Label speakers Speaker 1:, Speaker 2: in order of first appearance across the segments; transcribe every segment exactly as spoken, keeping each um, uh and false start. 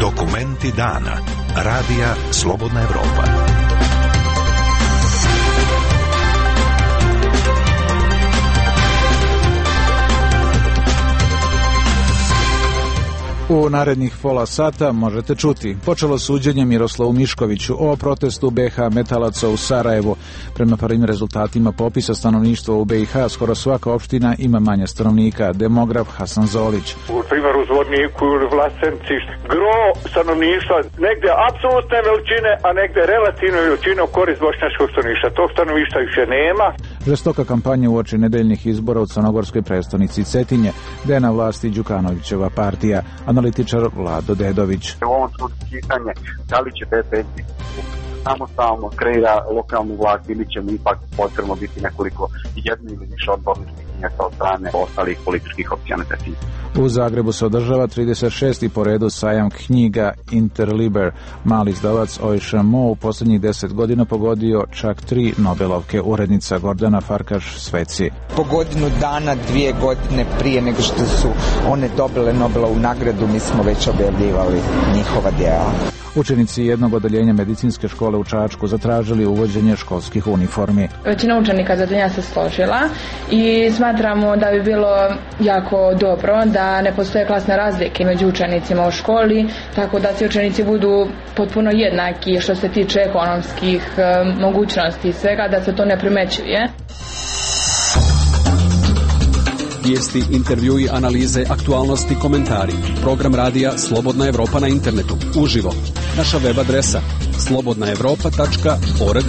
Speaker 1: Dokumenti dana. Radija Slobodna Evropa.
Speaker 2: U narednih pola sata možete čuti. Počelo suđenje Miroslavu Miškoviću o protestu B iH metalaca u Sarajevu. Prema prvim rezultatima popisa stanovništva u B iH, skoro svaka opština ima manje stanovnika. Demograf Hasan Zolić.
Speaker 3: U primjer u Zvorniku ili Vlasenci, gro stanovništva negde apsolutne veličine, a negde relativne veličine u korist bošnjačkog stanovništva. Tog stanovništva više nema.
Speaker 2: Žestoka kampanja uoči nedeljnih izbora u crnogorskoj prestonici Cetinje, gde je na vlasti Đukanovićeva partija. Analitičar Vlado Dedović.
Speaker 4: U ovom slučaju pitanje da li će B P S samostalno kreira lokalnu vlast ili će mu ipak potrebno biti nekoliko jedno ili više odborničkih mjesta od strane ostalih političkih opcija na Cetinju.
Speaker 2: U Zagrebu se održava trideset šesti po redu sajam knjiga Interliber. Mali izdavac Ojša Mo u posljednjih deset godina pogodio čak tri Nobelovke. Urednica Gordana Farkaš Sveci.
Speaker 5: Po godinu dana, dvije godine prije nego što su one dobile Nobelovu nagradu, mi smo već objavljivali njihova djela.
Speaker 2: Učenici jednog odeljenja medicinske škole u Čačku zatražili uvođenje školskih uniformi.
Speaker 6: Većina učenika zadovoljna se složila i smatramo da bi bilo jako dobro da ne postoje klasne razlike među učenicima u školi, tako da svi učenici budu potpuno jednaki što se tiče ekonomskih mogućnosti i svega, da se to ne primećuje.
Speaker 7: Vijesti, intervjui, analize, aktualnosti, komentari. Program radija Slobodna Evropa na internetu. Uživo. Naša web adresa slobodna evropa tačka org.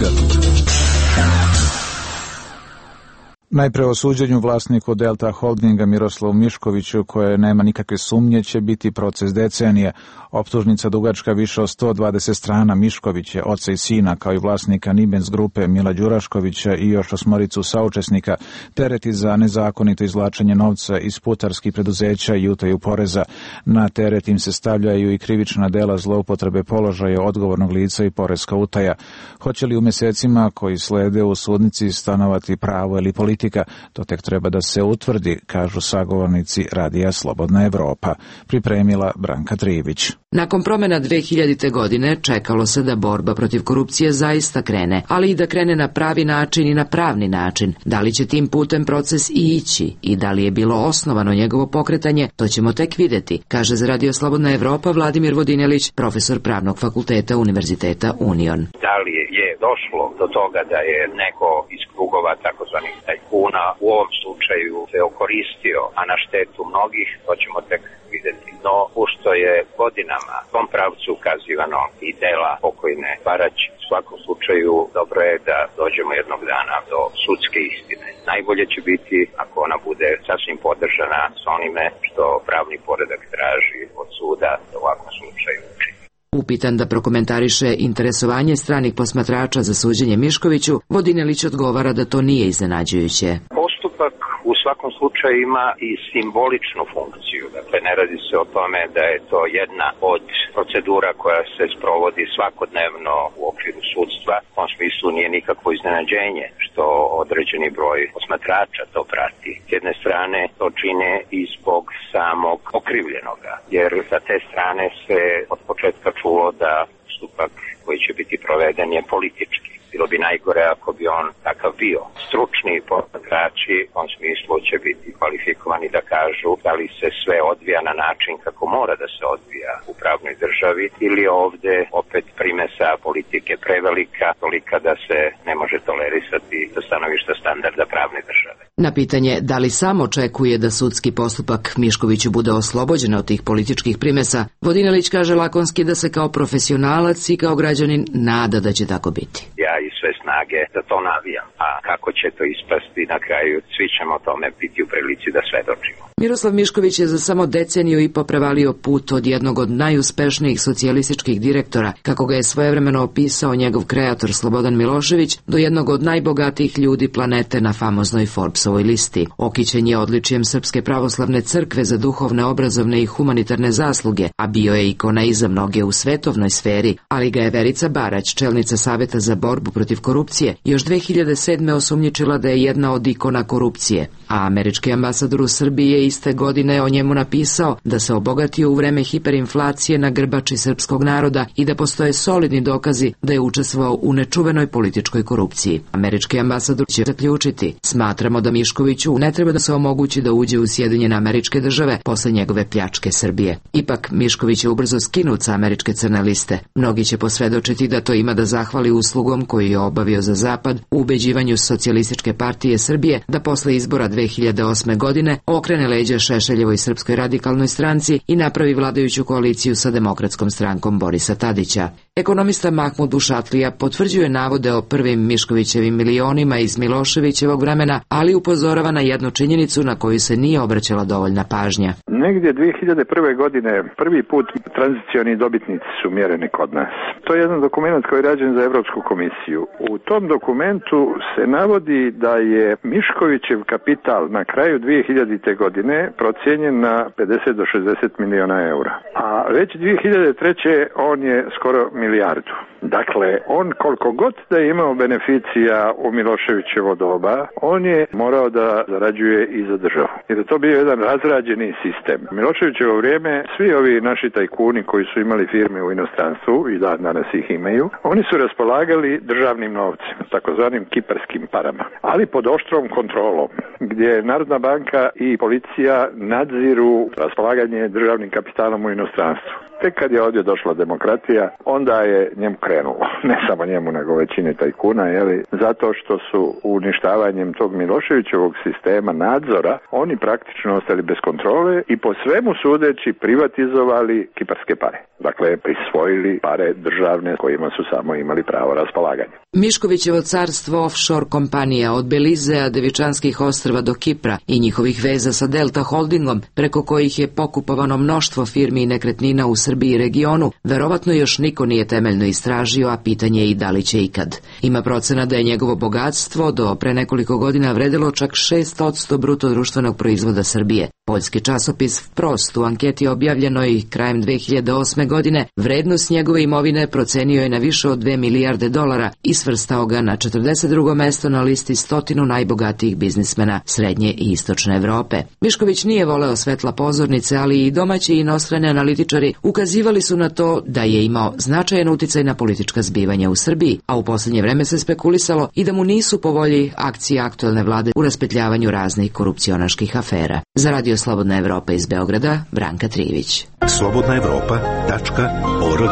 Speaker 2: Najpre o suđenju vlasniku Delta Holdinga Miroslavu Miškoviću, koje nema nikakve sumnje, će biti proces decenije. Optužnica dugačka više od sto dvadeset strana. Mišković je oca i sina, kao i vlasnika Nibens grupe Mila Đuraškovića i još osmoricu saučesnika, tereti za nezakonito izvlačenje novca iz putarskih preduzeća i utaju poreza. Na teret im se stavljaju i krivična dela zloupotrebe položaja odgovornog lica i poreska utaja. Hoće li u mjesecima koji slede u sudnici stanovati pravo ili politika? To tek treba da se utvrdi, kažu sagovornici radija Slobodna Evropa. Pripremila Branka Trivić.
Speaker 8: Nakon promjena dve hiljadite. godine čekalo se da borba protiv korupcije zaista krene, ali i da krene na pravi način i na pravni način. Da li će tim putem proces i ići i da li je bilo osnovano njegovo pokretanje, to ćemo tek vidjeti, kaže za radio Slobodna Evropa Vladimir Vodinelić, profesor Pravnog fakulteta Univerziteta Union.
Speaker 9: Da li je došlo do toga da je neko iz krugova takozvanih tajkuna u ovom slučaju se okoristio, a na štetu mnogih, to ćemo tek vidjeti. No, ušto je godinama u tom pravcu ukazivano i dela pokojne Barać, u svakom slučaju dobro je da dođemo jednog dana do sudske istine. Najbolje će biti ako ona bude sasvim podržana s onime što pravni poredak traži od suda da u ovakvom slučaju učini.
Speaker 8: Upitan da prokomentariše interesovanje stranih posmatrača za suđenje Miškoviću, Vodinelić odgovara da to nije iznenađujuće.
Speaker 9: Postupak u svakom slučaju ima i simboličnu funkciju. Dakle, ne radi se o tome da je to jedna od procedura koja se sprovodi svakodnevno u okviru sudstva. U tom smislu nije nikakvo iznenađenje što određeni broj posmatrača to prati. S jedne strane to čine i zbog samog okrivljenoga, jer sa te strane se od početka čulo da postupak koji će biti proveden je politički. Bilo bi najgore ako bi on takav bio. Stručni posmatrači u tom smislu će biti kvalifikovani da kažu da li se sve odvija na način kako mora da se odvija u pravnoj državi ili ovdje opet primesa politike prevelika, tolika da se ne može tolerisati do stanovišta standarda pravne države.
Speaker 8: Na pitanje da li samo očekuje da sudski postupak Miškoviću bude oslobođen od tih političkih primesa, Vodinelić kaže lakonski da se kao profesionalac i kao građanin nada da će tako biti.
Speaker 9: Ja i sve snage da to navijam, a kako će to ispasti na kraju, svi ćemo o tome biti u prilici da svedočimo.
Speaker 8: Miroslav Mišković je za samo deceniju i po prevalio put od jednog od najuspešnijih socijalističkih direktora, kako ga je svojevremeno opisao njegov kreator Slobodan Milošević, do jednog od najbogatijih ljudi planete na famoznoj Forbesovoj listi. Okićen je odličjem Srpske pravoslavne crkve za duhovne, obrazovne i humanitarne zasluge, a bio je ikona i za mnoge u svetovnoj sferi, ali ga je Verica Barać, čelnica Saveta za borbu protiv korupcije, još dve hiljade sedme osumnjičila da je jedna od ikona korupcije, a američki ambasador u Srbiji je iste godine o njemu napisao da se obogatio u vreme hiperinflacije na grbači srpskog naroda i da postoje solidni dokazi da je učestvovao u nečuvenoj političkoj korupciji. Američki ambasador će zaključiti: smatramo da Miškoviću ne treba da se omogući da uđe u Sjedinjene Američke Države posle njegove pljačke Srbije. Ipak, Mišković je ubrzo skinut sa američke crne liste. Mnogi će posvedočiti da to ima da zahvali uslugom koju je obavio za Zapad u ubeđivanju Socijalističke partije Srbije da posle izbora dve hiljade osme godine okrene leđa Šešeljevoj Srpskoj radikalnoj stranci i napravi vladajuću koaliciju sa Demokratskom strankom Borisa Tadića. Ekonomista Mahmud Ušatlija potvrđuje navode o prvim Miškovićevim milionima iz Miloševićevog vremena, ali upozorava na jednu činjenicu na koju se nije obraćala dovoljna pažnja.
Speaker 10: Negdje dve hiljade prve. godine prvi put tranzicioni dobitnici su mjereni kod nas. To je jedan dokument koji je rađen za Evropsku komisiju. U tom dokumentu se navodi da je Miškovićev kapital na kraju dve hiljadite. godine procijenjen na pedeset do šezdeset miliona eura. A već dve hiljade treće. on je skoro milijardu. Dakle, on koliko god da je imao beneficija u Miloševićevo doba, on je morao da zarađuje i za državu. Jer je to bio jedan razrađeni sistem. Miloševićevo vrijeme, svi ovi naši tajkuni koji su imali firme u inostranstvu i da danas ih imaju, oni su raspolagali državnim novcem, takozvanim kiparskim parama, ali pod oštrom kontrolom, gdje Narodna banka i policija nadziru raspolaganje državnim kapitalom u inostranstvu. Tek kad je ovdje došla demokratija, onda je njemu krenulo. Ne samo njemu, nego većini tajkuna, jeli, zato što su uništavanjem tog Miloševićevog sistema nadzora, oni praktično ostali bez kontrole i po svemu sudeći privatizovali kiparske pare. Dakle, prisvojili pare državne kojima su samo imali pravo raspolaganja.
Speaker 8: Miškovićevo carstvo offshore kompanija od Belizea, Devičanskih ostrva do Kipra i njihovih veza sa Delta Holdingom, preko kojih je pokupovano mnoštvo firmi i nekretnina u Srbiji i regionu, verovatno još niko nije temeljno istražio, a pitanje je i da li će ikad. Ima procena da je njegovo bogatstvo do pre nekoliko godina vredilo čak šest posto bruto društvenog proizvoda Srbije. Poljski časopis Prost u anketi objavljenoj krajem dve hiljade osme. godine vrednost njegove imovine procenio je na više od dve milijarde dolara i svrstao ga na četrdeset drugo mesto na listi stotinu najbogatijih biznismena Srednje i Istočne Evrope. Mišković nije voleo svetla pozornice, ali i domaći i inostrani analitičari ukazivali su na to da je imao značajan uticaj na politička zbivanja u Srbiji, a u posljednje vreme se spekulisalo i da mu nisu po volji akcije aktuelne vlade u raspetljavanju raznih korupcionaških afera. Za Radio Slobodna Evropa iz Beograda, Branka Trivić.
Speaker 1: slobodna evropa tačka org.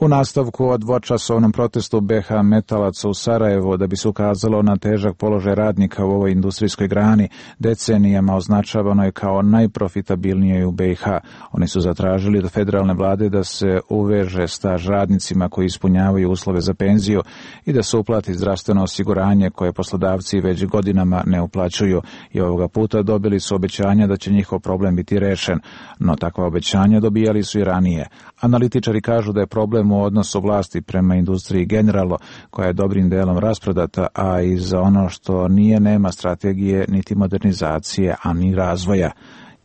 Speaker 2: U nastavku o dvočasovnom protestu be ha metalaca u Sarajevu da bi se ukazalo na težak položaj radnika u ovoj industrijskoj grani, decenijama označavano je kao najprofitabilnije u be i ha. Oni su zatražili od federalne vlade da se uveže staž radnicima koji ispunjavaju uslove za penziju i da se uplati zdravstveno osiguranje koje poslodavci već godinama ne uplaćuju, i ovoga puta dobili su obećanja da će njihov problem biti rešen, no takva obećanja dobijali su i ranije. Analitičari kažu da je problem u odnosu vlasti prema industriji generalno, koja je dobrim delom rasprodata, a i za ono što nije nema strategije niti modernizacije, a ni razvoja.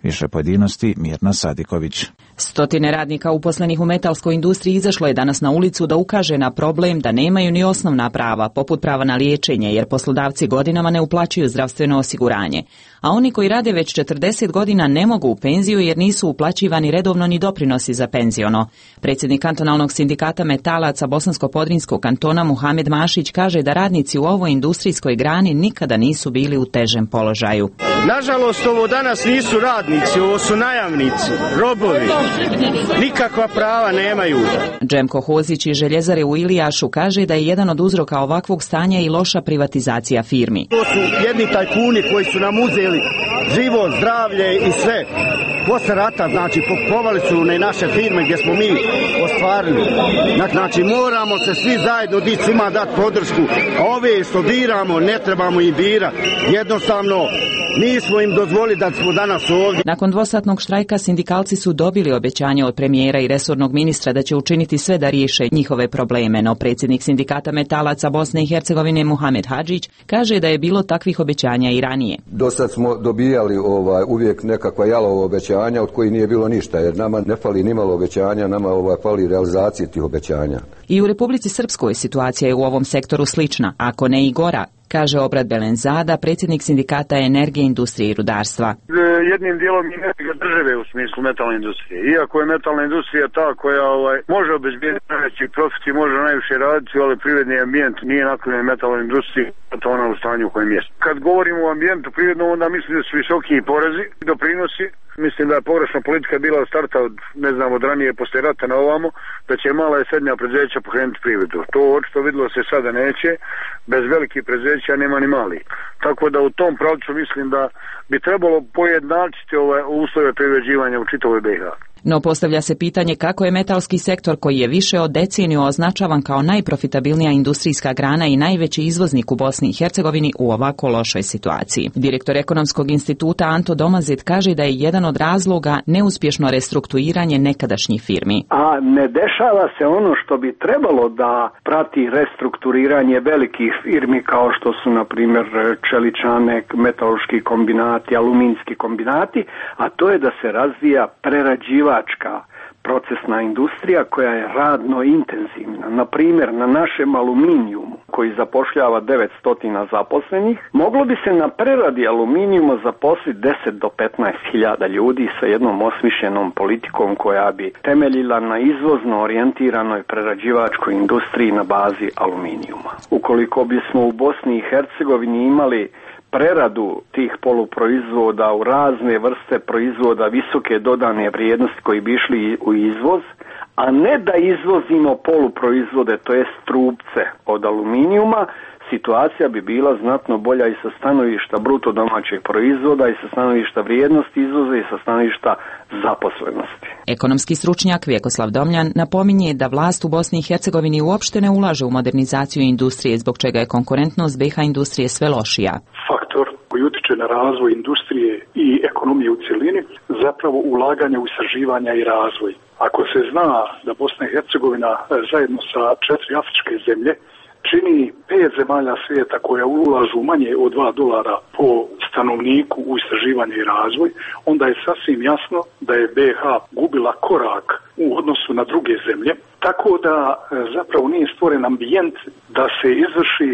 Speaker 2: Više pojedinosti Mirna Sadiković.
Speaker 11: Stotine radnika uposlenih u metalskoj industriji izašlo je danas na ulicu da ukaže na problem da nemaju ni osnovna prava, poput prava na liječenje, jer poslodavci godinama ne uplaćuju zdravstveno osiguranje. A oni koji rade već četrdeset godina ne mogu u penziju jer nisu uplaćivani redovno ni doprinosi za penziono. Predsjednik kantonalnog sindikata metalaca Bosansko-Podrinjskog kantona Muhamed Mašić kaže da radnici u ovoj industrijskoj grani nikada nisu bili u težem položaju.
Speaker 12: Nažalost, ovo danas nisu radnici, ovo su najamnici, robovi. Nikakva prava nemaju.
Speaker 11: Džemko Hozić iz željezare u Ilijašu kaže da je jedan od uzroka ovakvog stanja i loša privatizacija firmi.
Speaker 12: To su jedni tajkuni koji su nam uzeli život, zdravlje i sve. Posle rata, znači, popovali su na naše firme gdje smo mi ostvarili. Znači, moramo se svi zajedno dići, svima dati podršku. A ove što diramo, ne trebamo im dirati. Jednostavno, nismo im dozvolili da smo danas ovdje.
Speaker 11: Nakon dvosatnog štrajka sindikalci su dobili obećanje od premijera i resornog ministra da će učiniti sve da riješe njihove probleme, no predsjednik sindikata metalaca Bosne i Hercegovine Muhamed Hadžić kaže da je bilo takvih obećanja i ranije.
Speaker 13: Do sad smo dobijali ovaj, uvijek nekakva jalova obećanja od kojih nije bilo ništa, jer nama ne fali nimalo obećanja, nama ovaj, fali realizacije tih obećanja.
Speaker 11: I u Republici Srpskoj situacija je u ovom sektoru slična, ako ne i gora. kaže Obrat Belenzada, predsjednik sindikata energije, industrije i rudarstva.
Speaker 14: Jednim dijelom i neke države u smislu metalne industrije. Iako je metalna industrija ta koja ovaj, može obezbijediti najveći profit i može najviše raditi, ali privredni ambijent nije naklonjen metalnoj industriji, to ona u stanju u kojem jest. Kad govorimo o ambijentu privrednom, onda mislim da su visoki porezi i doprinosi. Mislim da je pogrešna politika bila od starta, od, ne znam, od ranije poslije rata na ovamo, da će mala i srednja preduzeća pokrenuti privredu. To očito vidjelo se sada neće, bez velikih preduzeća nema ni mali. Tako da u tom pravcu mislim da bi trebalo pojednačiti ove uslove privređivanja u čitavoj B iH.
Speaker 11: No postavlja se pitanje kako je metalski sektor, koji je više od deceniju označavan kao najprofitabilnija industrijska grana i najveći izvoznik u Bosni i Hercegovini, u ovako lošoj situaciji. Direktor Ekonomskog instituta Anto Domazet kaže da je jedan od razloga neuspješno restrukturiranje nekadašnjih firmi.
Speaker 15: A ne dešava se ono što bi trebalo da prati restrukturiranje velikih firmi kao što su na primjer čeličane, metalurški kombinati, aluminijski kombinati, a to je da se razvija prerađivačka procesna industrija koja je radno intenzivna. Na primjer, na našem aluminijumu koji zapošljava devetsto zaposlenih, moglo bi se na preradi aluminijuma zaposliti deset do petnaest hiljada ljudi sa jednom osmišljenom politikom koja bi temeljila na izvozno orijentiranoj prerađivačkoj industriji na bazi aluminijuma. Ukoliko bismo u Bosni i Hercegovini imali preradu tih poluproizvoda u razne vrste proizvoda visoke dodane vrijednosti koji bi išli u izvoz, a ne da izvozimo poluproizvode, to jest trupce od aluminijuma, situacija bi bila znatno bolja i sa stanovišta bruto domaćeg proizvoda i sa stanovišta vrijednosti izvoza i sa stanovišta zaposlenosti.
Speaker 11: Ekonomski stručnjak Vjekoslav Domljan napominje da vlast u Bosni i Hercegovini uopšte ne ulaže u modernizaciju industrije, zbog čega je konkurentnost B iH industrije sve lošija.
Speaker 16: Faktor koji utiče na razvoj industrije i ekonomije u cjelini, zapravo ulaganje u istraživanja i razvoj. Ako se zna da Bosna i Hercegovina zajedno sa četiri afričke zemlje čini pet zemalja svijeta koja ulažu manje od dva dolara po stanovniku u istraživanje i razvoj, onda je sasvim jasno da je B iH gubila korak u odnosu na druge zemlje, tako da zapravo nije stvoren ambijent da se izvrši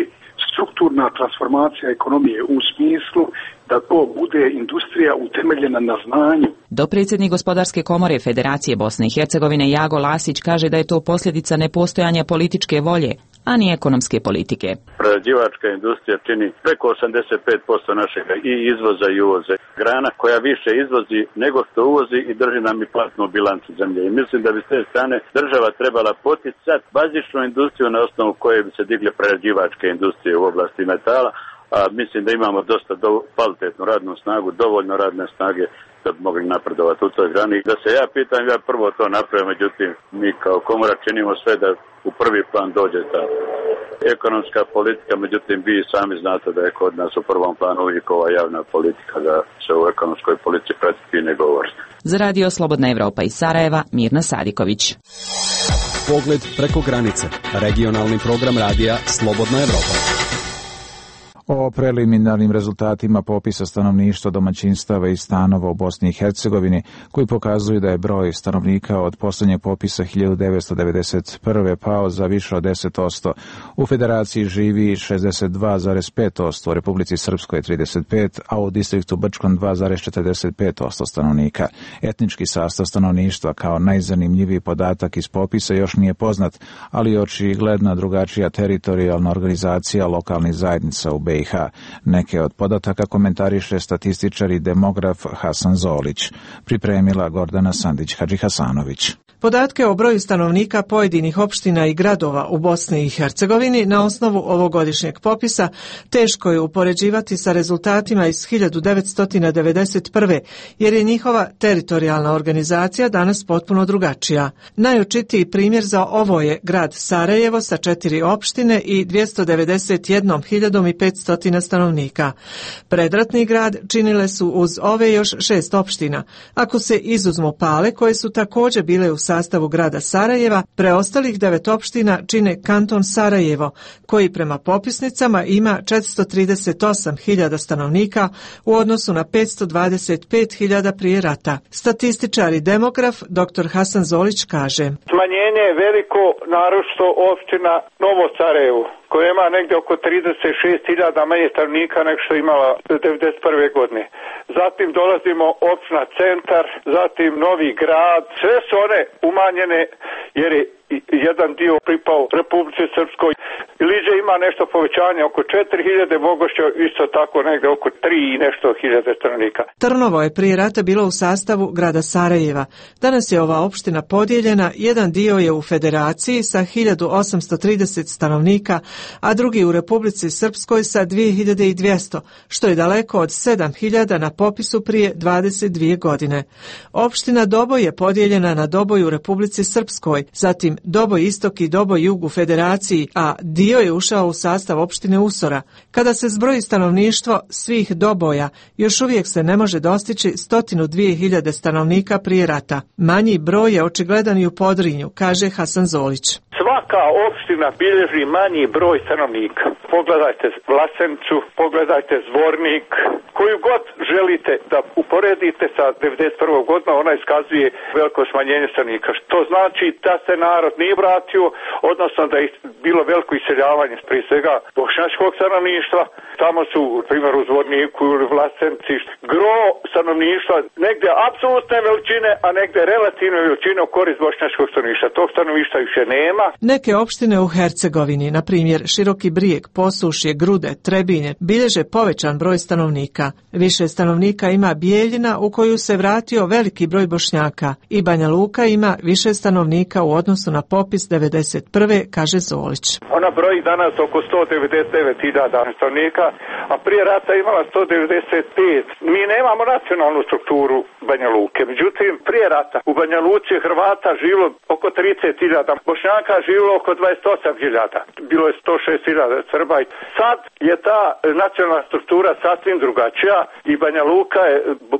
Speaker 16: strukturna transformacija ekonomije u smislu da to bude industrija utemeljena na znanju.
Speaker 11: Dopredsjednik Gospodarske komore Federacije Bosne i Hercegovine Jago Lasić kaže da je to posljedica nepostojanja političke volje, a ni ekonomske politike.
Speaker 17: Prerađivačka industrija čini preko osamdeset pet posto našega i izvoza i uvoza. Grana koja više izvozi nego što uvozi i drži nam i platnu bilancu zemlje. I mislim da bi s te strane država trebala poticati bazičnu industriju na osnovu koje bi se digle prerađivačke industrije u oblasti metala, a mislim da imamo dosta do, kvalitetnu radnu snagu, dovoljno radne snage da bi mogli napredovati u toj grani. Da se ja pitam, ja prvo to napravim, međutim mi kao komora činimo sve da u prvi plan dođe ta ekonomska politika, međutim vi sami znate da je kod nas u prvom planu uvijek ova javna politika, da se u ekonomskoj politici praktički ne govori.
Speaker 11: Za radio Slobodna Evropa iz Sarajeva, Mirna Sadiković.
Speaker 7: Pogled preko granice. Regionalni program radija Slobodna Evropa.
Speaker 2: O preliminarnim rezultatima popisa stanovništva, domaćinstava i stanova u Bosni i Hercegovini, koji pokazuju da je broj stanovnika od posljednjeg popisa hiljadu devetsto devedeset prve pao za više od deset posto. U Federaciji živi šezdeset dva zarez pet posto, u Republici Srpskoj trideset pet posto, a u distriktu Brčkom dva zarez četrdeset pet posto stanovnika. Etnički sastav stanovništva kao najzanimljiviji podatak iz popisa još nije poznat, ali očigledna drugačija teritorijalna organizacija lokalnih zajednica u B iH. Neke od podataka komentariše statističar i demograf Hasan Zolić. Pripremila Gordana Sandić-Hadžihasanović.
Speaker 18: Podatke o broju stanovnika pojedinih opština i gradova u Bosni i Hercegovini na osnovu ovogodišnjeg popisa teško je upoređivati sa rezultatima iz hiljadu devetsto devedeset prve. jer je njihova teritorijalna organizacija danas potpuno drugačija. Najočitiji primjer za ovo je grad Sarajevo sa četiri opštine i dvjesto devedeset jednom hiljadom i petsto stanovnika. Predratni grad činile su uz ove još šest opština. Ako se izuzmu Pale, koje su također bile u sastavu grada Sarajeva, preostalih devet opština čine kanton Sarajevo, koji prema popisnicama ima četiristo trideset osam hiljada stanovnika u odnosu na petsto dvadeset pet hiljada prije rata. Statističar i demograf dr. Hasan Zolić kaže:
Speaker 3: Smanjenje je veliko, naročito opština Novo Sarajevo, koja ima negdje oko trideset šest hiljada hiljada manje stanovnika nego što je imala devedeset prve godine. Zatim dolazimo opština Centar, zatim Novi Grad. Sve su one umanjene jer je jedan dio pripao Republici Srpskoj. Iliđe ima nešto povećanje oko četiri hiljade, Bogošća isto tako negde oko tri i nešto hiljade stanovnika.
Speaker 18: Trnovo je prije rata bilo u sastavu grada Sarajeva. Danas je ova opština podijeljena, jedan dio je u federaciji sa hiljadu osamsto trideset stanovnika, a drugi u Republici Srpskoj sa dvije hiljade dvjesto, što je daleko od sedam hiljada na popisu prije dvadeset dvije godine. Opština Doboj je podijeljena na Doboj u Republici Srpskoj, zatim Doboj istok i Doboj jug u federaciji, a dio je ušao u sastav opštine Usora. Kada se zbroji stanovništvo svih Doboja, još uvijek se ne može dostići stotinu dvije hiljade stanovnika prije rata. Manji broj je očigledan i u Podrinju, kaže Hasan Zolić.
Speaker 3: Svaka opština bilježi manji broj stanovnika. Pogledajte Vlasenicu, pogledajte Zvornik, koju god želite da uporedite sa devedeset prvom godinom, ona iskazuje veliko smanjenje stanovnika. Što znači da se narod nije vratio, odnosno da je bilo veliko iseljavanje prije svega bošnjačkog stanovništva. Tamo su, u primjer, u Zvorniku ili Vlasenici, gro stanovništva, negdje apsolutne veličine, a negdje relativne veličine u korist bošnjačkog stanovništva. Tog stanovništva više nema.
Speaker 18: Neke opštine u Hercegovini, na primjer Široki Brijeg, Posušje, Grude, Trebinje, bilježe povećan broj stanovnika. Više stanovnika ima Bijeljina, u koju se vratio veliki broj Bošnjaka, i Banja Luka ima više stanovnika u odnosu na popis devedeset prve, kaže Zolić.
Speaker 3: Ona broji danas oko sto devedeset devet hiljada stanovnika, a prije rata imala sto devedeset pet. Mi nemamo nacionalnu strukturu Banja Luke, međutim prije rata u Banja Luci Hrvata živilo oko trideset hiljada, Bošnjaka živilo oko dvadeset osam hiljada, bilo je sto šest hiljada Srba. Sad je ta nacionalna struktura sasvim drugačija i Banja Luka je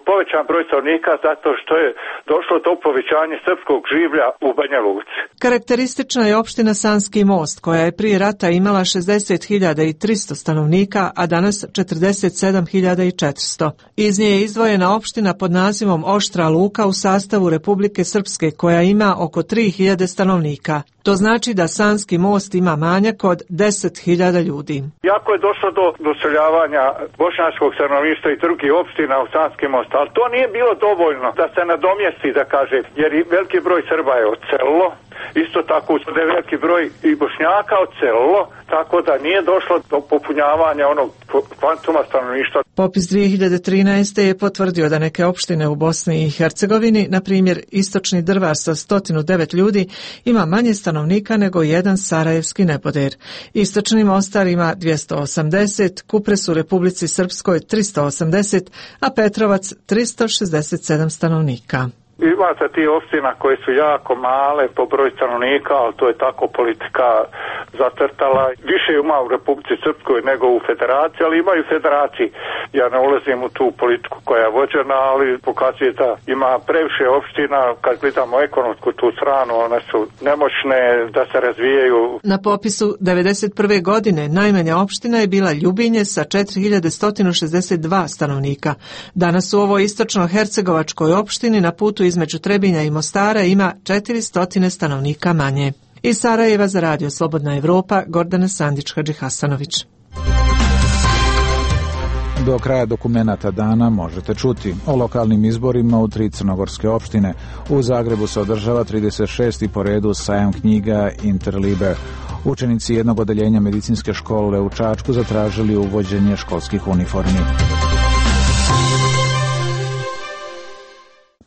Speaker 3: povećan broj stanovnika zato što je došlo do povećanja srpskog življa u Banja Luci.
Speaker 18: Karakteristična je opština Sanski Most, koja je prije rata imala šezdeset hiljada tristo stanovnika, a danas četrdeset sedam hiljada četiristo. Iz nje je izdvojena opština pod nazivom Oštra Luka u sastavu Republike Srpske, koja ima oko tri hiljade stanovnika. To znači da Sanski Most ima manjak od deset hiljada ljudi.
Speaker 3: Jako je došlo do doseljavanja bošnjačkog stanovništva i drugih opština u Sanski Most, ali to nije bilo dovoljno da se nadomjesti, da kaže, jer i veliki broj Srba je odselilo, isto tako da je veliki broj i Bošnjaka odselilo, tako da nije došlo do popunjavanja onog kvantuma stanovništva.
Speaker 18: Popis dvije hiljade trinaeste. je potvrdio da neke opštine u Bosni i Hercegovini, na primjer Istočni Drvar sa sto devet ljudi, ima manje stanovnika nego jedan sarajevski Neboder. Istočni Mostar ima dvjesto osamdeset, Kupres u Republici Srpskoj tristo osamdeset, a Petrovac tristo šezdeset sedam stanovnika.
Speaker 3: Imate ti opština koje su jako male po broju stanovnika, ali to je tako politika zacrtala. Više ima u Republici Srpskoj nego u federaciji, ali ima i u federaciji. Ja ne ulazim u tu politiku koja je vođena, ali pokazuje da ima previše opština. Kad gledamo ekonomsku tu stranu, one su nemoćne da se razvijaju.
Speaker 18: Na popisu devedeset prve. godine najmanja opština je bila Ljubinje sa četiri hiljade sto šezdeset dva stanovnika. Danas u ovoj istočno-hercegovačkoj opštini na putu između Trebinja i Mostara ima četiristo stanovnika manje. Iz Sarajeva za radio Slobodna Evropa, Gordana Sandić-Hadži Hasanović.
Speaker 2: Do kraja dokumenata dana možete čuti o lokalnim izborima u tri crnogorske opštine. U Zagrebu se održava trideset šesti po redu sajam knjiga Interliber. Učenici jednog odeljenja medicinske škole u Čačku zatražili uvođenje školskih uniformi.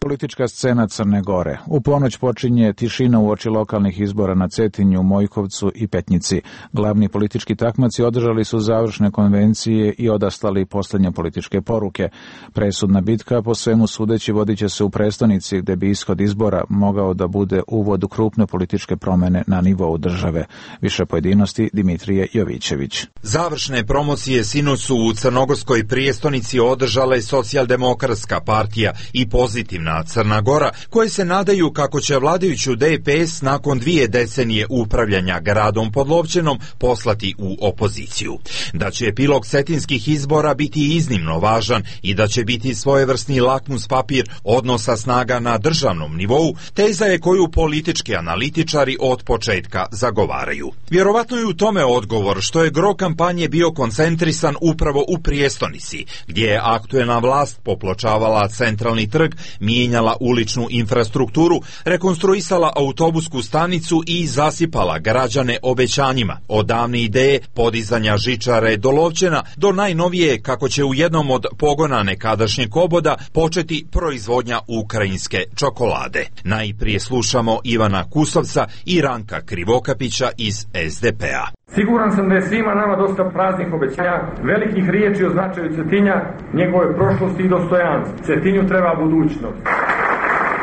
Speaker 2: Politička scena Crne Gore. U ponoć počinje tišina uoči lokalnih izbora na Cetinju, Mojkovcu i Petnici. Glavni politički takmaci održali su završne konvencije i odaslali posljednje političke poruke. Presudna bitka, po svemu sudeći, vodit će se u prestonici, gde bi ishod izbora mogao da bude uvod u krupne političke promene na nivou države. Više pojedinosti Dimitrije Jovićević.
Speaker 19: Završne promocije sinoć su u crnogorskoj prijestonici održale Socijaldemokratska partija i Pozitivna Cetinjana Crna Gora, koje se nadaju kako će vladajuću D P S nakon dvije decenije upravljanja gradom pod Lovćenom poslati u opoziciju. Da će epilog cetinskih izbora biti iznimno važan i da će biti svojevrsni lakmus papir odnosa snaga na državnom nivou, teza je koju politički analitičari od početka zagovaraju. Vjerovatno je u tome odgovor što je gro kampanje bio koncentrisan upravo u prijestonici, gdje je aktuelna vlast popločavala centralni trg, mijenjala uličnu infrastrukturu, rekonstruisala autobusku stanicu i zasipala građane obećanjima, od davne ideje podizanja žičare do Lovćena do najnovije kako će u jednom od pogona nekadašnjeg oboda početi proizvodnja ukrajinske čokolade. Najprije slušamo Ivana Kusovca i Ranka Krivokapića iz S D P-a.
Speaker 20: Siguran sam da je svima nama dosta praznih obećanja, velikih riječi o značaju Cetinja, njegove prošlosti i dostojanstva. Cetinju treba budućnost.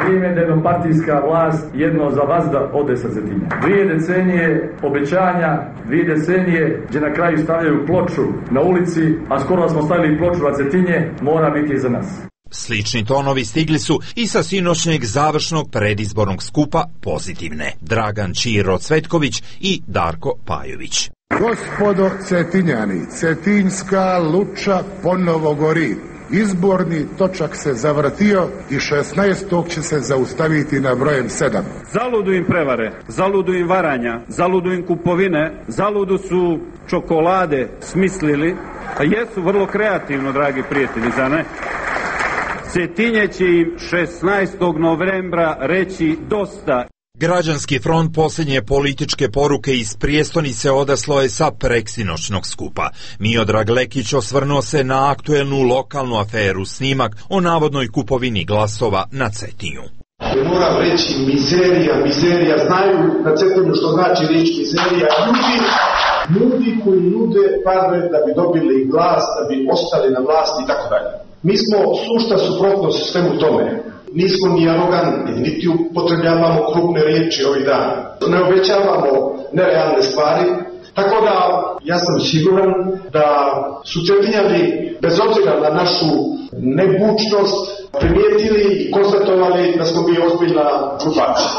Speaker 20: Vrijeme da jednopartijska vlast jedno za vazda ode sa Cetinja. Dvije decenije obećanja, dvije decenije gdje na kraju stavljaju ploču na ulici, a skoro smo stavili ploču na Cetinje, mora biti iza nas.
Speaker 19: Slični tonovi stigli su i sa sinoćnjeg završnog predizbornog skupa Pozitivne. Dragan Ćiro Cvetković i Darko Pajović.
Speaker 21: Gospodo Cetinjani, Cetinjska luča ponovo gori. Izborni točak se zavrtio i šesnaestog će se zaustaviti na brojem sedam.
Speaker 22: Zaludu im prevare, zaludu im varanja, zaludu im kupovine, zaludu su čokolade smislili, a jesu vrlo kreativno, dragi prijatelji, za ne? Cetinje će im šesnaestog novembra reći dosta.
Speaker 19: Građanski front posljednje političke poruke iz prijestonice odaslo je sa preksinoćnog skupa. Miodrag Lekić osvrnuo se na aktuelnu lokalnu aferu, snimak o navodnoj kupovini glasova na Cetinju.
Speaker 23: Moram reći mizerija, mizerija, znaju na Cetinju što znači riječ mizerija. Ljudi, ljudi koji nude pare da bi dobili glas, da bi ostali na vlasti i tako dalje. Mi smo sušta suprotnost svemu tome. Nismo ni arogantni, niti upotrebljavamo krupne riječi ovih dana. Ne obećavamo nerealne stvari, tako da ja sam siguran da su Cetinjani, bez obzira na našu nebučnost, primijetili i konstatovali da smo mi ozbiljna grupacija.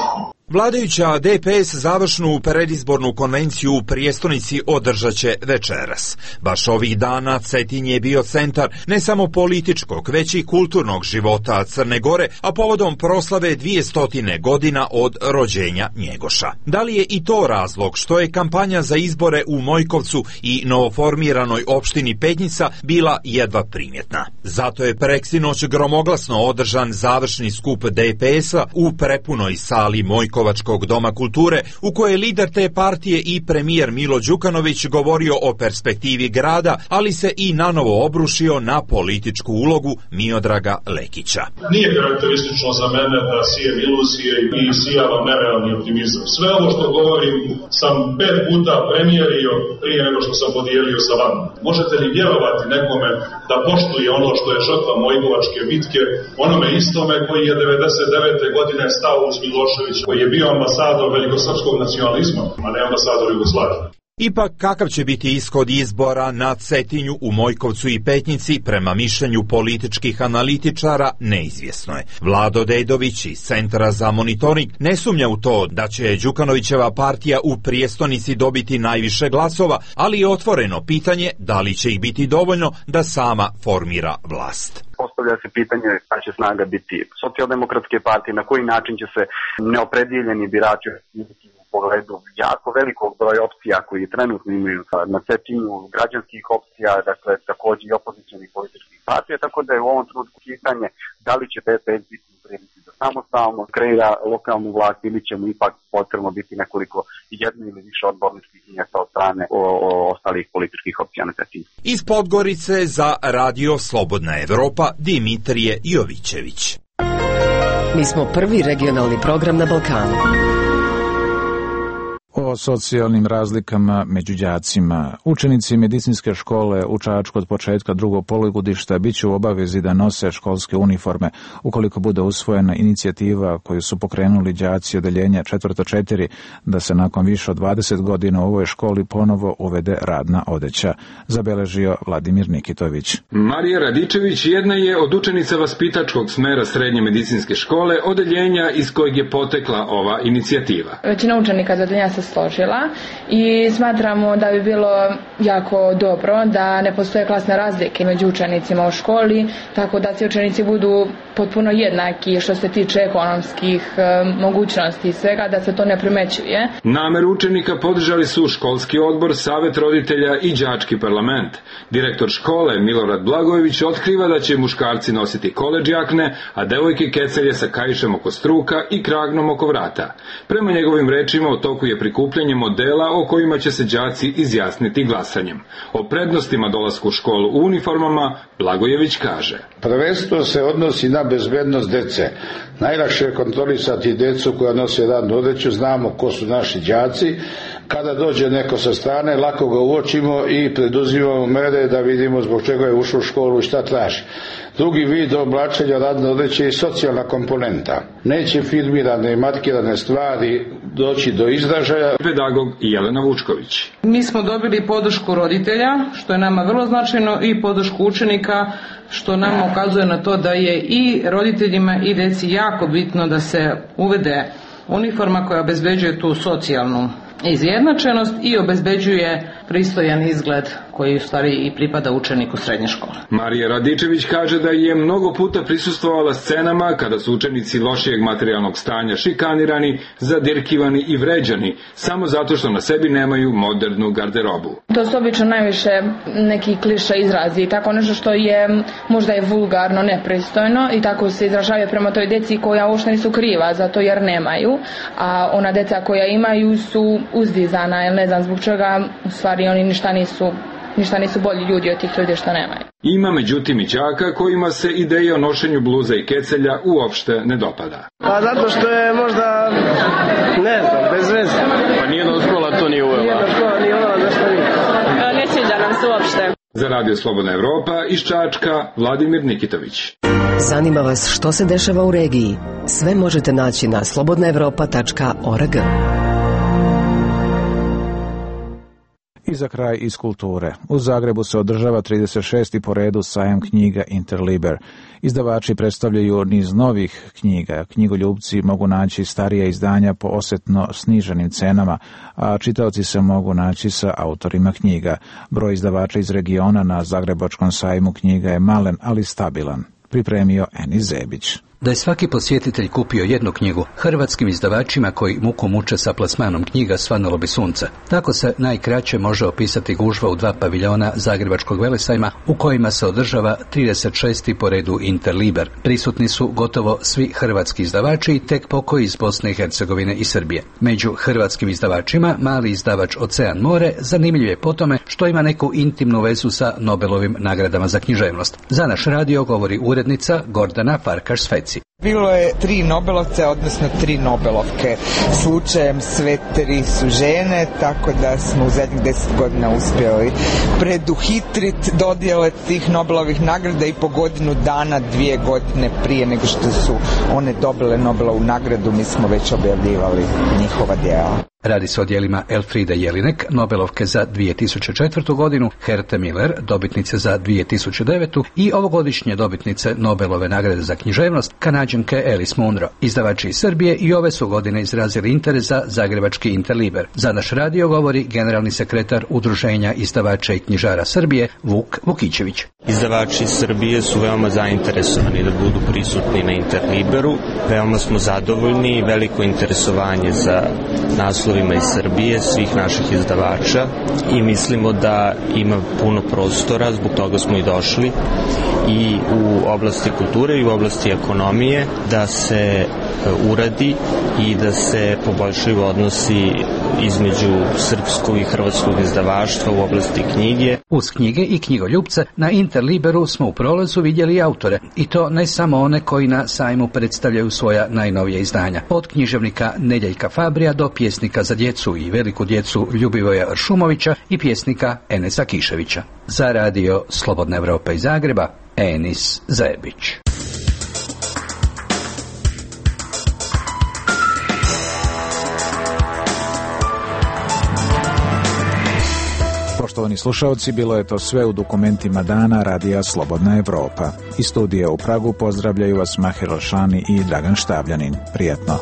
Speaker 19: Vladajuća D P S završnu predizbornu konvenciju u prijestonici održat će večeras. Baš ovih dana Cetinj je bio centar ne samo političkog, već i kulturnog života Crne Gore, a povodom proslave dvjesto godina od rođenja Njegoša. Da li je i to razlog što je kampanja za izbore u Mojkovcu i novoformiranoj opštini Petnica bila jedva primjetna? Zato je preksinoć gromoglasno održan završni skup D P S-a u prepunoj sali Mojkovca Kovačkog doma kulture, u kojoj je lider te partije i premijer Milo Đukanović govorio o perspektivi grada, ali se i nanovo obrušio na političku ulogu Miodraga Lekića.
Speaker 24: Nije karakteristično za mene da sijem iluzije i sijavam nerealni optimizam. Sve ovo što govorim sam pet puta premijerio prije nego što sam podijelio sa vama. Možete li vjerovati nekome da poštuje ono što je žrtva Mojkovačke bitke, onome istome koji je devedeset devete godine stao uz Miloševića, koji je bio ambasador velikosrpskog nacionalizma, a ne ambasador Jugoslavije.
Speaker 19: Ipak, kakav će biti ishod izbora na Cetinju, u Mojkovcu i Petnici, prema mišljenju političkih analitičara, neizvjesno je. Vlado Dedović iz Centra za monitoring ne sumnja u to da će Đukanovićeva partija u prijestonici dobiti najviše glasova, ali je otvoreno pitanje da li će ih biti dovoljno da sama formira vlast.
Speaker 4: Postavlja se pitanje kada će snaga biti socijaldemokratske partije, na koji način će se neopredijeljeni birači u pogledu jako velikog broja opcija koji trenutno imaju na Cetinju, građanskih opcija, dakle također i opozicionih političkih partija, tako da je u ovom trenutku pitanje da li će D P S biti u prilici da samostalno kreira lokalnu vlast ili će mu ipak potrebno biti nekoliko jedno ili više odborničkih mjesta od strane o, o ostalih političkih opcija na Cetinju.
Speaker 19: Iz Podgorice za Radio Slobodna Evropa Dimitrije Jovićević.
Speaker 25: Mi smo prvi regionalni program na Balkanu.
Speaker 2: O socijalnim razlikama među đacima. Učenici medicinske škole u Čačku od početka drugog polugodišta bit će u obavezi da nose školske uniforme ukoliko bude usvojena inicijativa koju su pokrenuli đaci odeljenja četvrto četiri da se nakon više od dvadeset godina u ovoj školi ponovo uvede radna odeća, zabeležio Vladimir Nikitović.
Speaker 5: Marija Radičević jedna je od učenica vaspitačkog smera srednje medicinske škole odeljenja iz kojeg je potekla ova inicijativa.
Speaker 6: Većina učenika za odeljenja se složila i smatramo da bi bilo jako dobro da ne postoje klasne razlike među učenicima u školi, tako da svi učenici budu potpuno jednaki što se tiče ekonomskih e, mogućnosti i svega, da se to ne primećuje.
Speaker 5: Nameru učenika podržali su školski odbor, savet roditelja i đački parlament. Direktor škole Milorad Blagojević otkriva da će muškarci nositi koledž jakne, a devojke kecelje sa kaišem oko struka i kragnom oko vrata. Prema njegovim rečima u toku je prikupljanje modela o kojima će se đaci izjasniti glasanjem. O prednostima dolasku u školu u uniformama Blagojević kaže:
Speaker 9: Prvenstveno se odnosi na bezbednost dece. Najlakše je kontrolisati decu koja nose radnu odeću, znamo ko su naši đaci. Kada dođe neko sa strane, lako ga uočimo i preduzimamo mere da vidimo zbog čega je ušao u školu i šta traži. Drugi vid oblačenja radne odeće je socijalna komponenta. Neće filmirane i markirane stvari doći do izražaja.
Speaker 5: Pedagog Jelena Vučković.
Speaker 10: Mi smo dobili podršku roditelja, što je nama vrlo značajno, i podršku učenika, što nam ukazuje na to da je i roditeljima i deci jako bitno da se uvede uniforma koja obezbeđuje tu socijalnu izjednačenost i obezbeđuje pristojan izgled koji u stvari i pripada učeniku srednje škole.
Speaker 5: Marija Radičević kaže da je mnogo puta prisustvovala scenama kada su učenici lošijeg materijalnog stanja šikanirani, zadirkivani i vređani, samo zato što na sebi nemaju modernu garderobu.
Speaker 6: To su obično najviše neki kliše izrazi i tako nešto što je možda je vulgarno, nepristojno i tako se izražavaju prema toj deci koja uopšte nisu kriva zato jer nemaju, a ona deca koja imaju su uzdizana, jer ne znam zbog čega u stvari oni ništa nisu ništa nisu bolji ljudi od tih ljudi što nemaju.
Speaker 5: Ima međutim i đaka kojima se ideja o nošenju bluza i kecelja uopšte ne dopada.
Speaker 25: Pa zato što je možda, ne znam, bez veze.
Speaker 5: Pa nijedna škola to nije uvela.
Speaker 25: Nijedna škola nije uvela, zašto nije?
Speaker 6: Ne sviđa nam se uopšte.
Speaker 5: Za Radio Slobodna Evropa iz Čačka, Vladimir Nikitović.
Speaker 26: Zanima vas što se dešava u regiji? Sve možete naći na slobodna evropa tačka org.
Speaker 2: I za kraj iz kulture. U Zagrebu se održava trideset šesti po redu sajam knjiga Interliber. Izdavači predstavljaju niz novih knjiga. Knjigoljubci mogu naći starija izdanja po osetno sniženim cenama, a čitaoci se mogu naći sa autorima knjiga. Broj izdavača iz regiona na Zagrebačkom sajmu knjiga je malen, ali stabilan. Pripremio Eni Zebić.
Speaker 27: Da je svaki posjetitelj kupio jednu knjigu, hrvatskim izdavačima koji muku muče sa plasmanom knjiga svanulo bi sunce. Tako se najkraće može opisati gužva u dva paviljona Zagrebačkog velesajma u kojima se održava trideset šesti po redu Interliber. Prisutni su gotovo svi hrvatski izdavači i tek pokoji iz Bosne i Hercegovine i Srbije. Među hrvatskim izdavačima mali izdavač Ocean more zanimljiv je po tome što ima neku intimnu vezu sa Nobelovim nagradama za književnost. Za naš radio govori urednica Gordana Farkaš-Sveci.
Speaker 28: Bilo je tri Nobelovce, odnosno tri Nobelovke. Slučajem sve tri su žene, tako da smo u zadnjih deset godina uspjeli preduhitrit dodjele tih Nobelovih nagrada i po godinu dana, dvije godine prije nego što su one dobile Nobelovu nagradu, mi smo već objavljivali njihova djela.
Speaker 27: Radi se o djelima Elfride Jelinek, Nobelovke za dvije tisuće četvrtu godinu, Herta Miller, dobitnice za dvije tisuće devetu i ovogodišnje dobitnice Nobelove nagrade za književnost, Kanadžanke Alice Munro. Izdavači iz Srbije i ove su godine izrazili interes za zagrebački Interliber. Za naš radio govori generalni sekretar Udruženja izdavača i knjižara Srbije, Vuk Vukićević.
Speaker 29: Izdavači iz Srbije su veoma zainteresovani da budu prisutni na Interliberu. Veoma smo zadovoljni, veliko interesovanje za naslovima iz Srbije, svih naših izdavača i mislimo da ima puno prostora, zbog toga smo i došli i u oblasti kulture i u oblasti ekonomije knjige, da se uradi i da se poboljšaju odnosi između srpskog i hrvatskog izdavaštva u oblasti knjige.
Speaker 27: Uz knjige i knjigoljupce na Interliberu smo u prolazu vidjeli autore, i to ne samo one koji na sajmu predstavljaju svoja najnovija izdanja. Od književnika Nedeljka Fabrija do pjesnika za djecu i veliku djecu Ljubivoja Šumovića i pjesnika Enesa Kiševića. Za radio Slobodna Evropa iz Zagreba, Enis Zajebić.
Speaker 2: Poštovani slušalci, bilo je to sve u dokumentima dana radija Slobodna Evropa. Iz studija u Pragu pozdravljaju vas Mahir Alšani i Dragan Štavljanin. Prijetno.